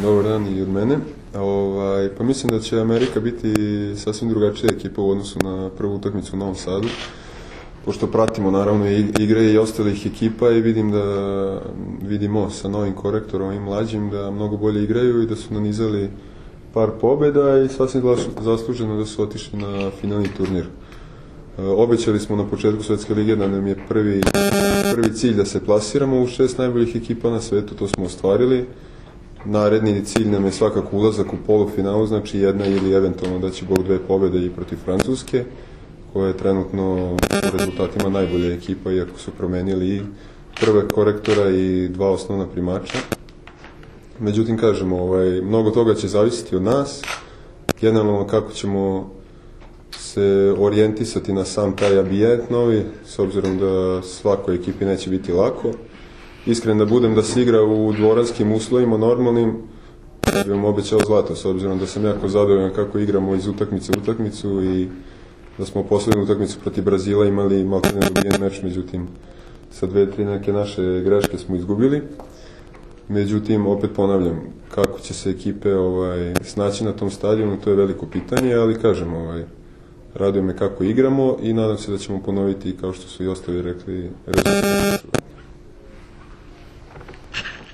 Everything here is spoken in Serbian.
Dobar dan i od mene. Pa mislim da će Amerika biti sasvim drugačija ekipa u odnosu na prvu utakmicu u Novom Sadu. Pošto pratimo naravno igre i ostalih ekipa i vidimo sa novim korektorom i mlađim da mnogo bolje igraju i da su nanizali par pobjeda i sasvim zasluženo da su otišli na finalni turnir. Obećali smo na početku Svetske lige da nam je prvi cilj da se plasiramo u 6 najboljih ekipa na svetu, to smo ostvarili. Naredni cilj nam je svakako ulazak u polufinalu, znači jedna ili eventualno da će Bog 2 pobjede i protiv Francuske, koja je trenutno u rezultatima najbolja ekipa, iako su promenili i prve korektora i 2 osnovna primača. Međutim, kažemo, mnogo toga će zavisiti od nas, generalno kako ćemo se orijentisati na sam taj ambijent novi, s obzirom da svakoj ekipi neće biti lako. Iskren da budem, da se igra u dvoranskim uslovima normalnim, da bi vam obećao zlato, s obzirom da sam jako zadovoljan kako igramo iz utakmice u utakmicu i da smo poslednju utakmicu protiv Brazila imali maltene dobijen meč, međutim sa 2-3 neke naše greške smo izgubili. Međutim, opet ponavljam, kako će se ekipe snaći na tom stadionu, to je veliko pitanje, ali kažem, raduje me kako igramo i nadam se da ćemo ponoviti, kao što su i ostali rekli, rezultate.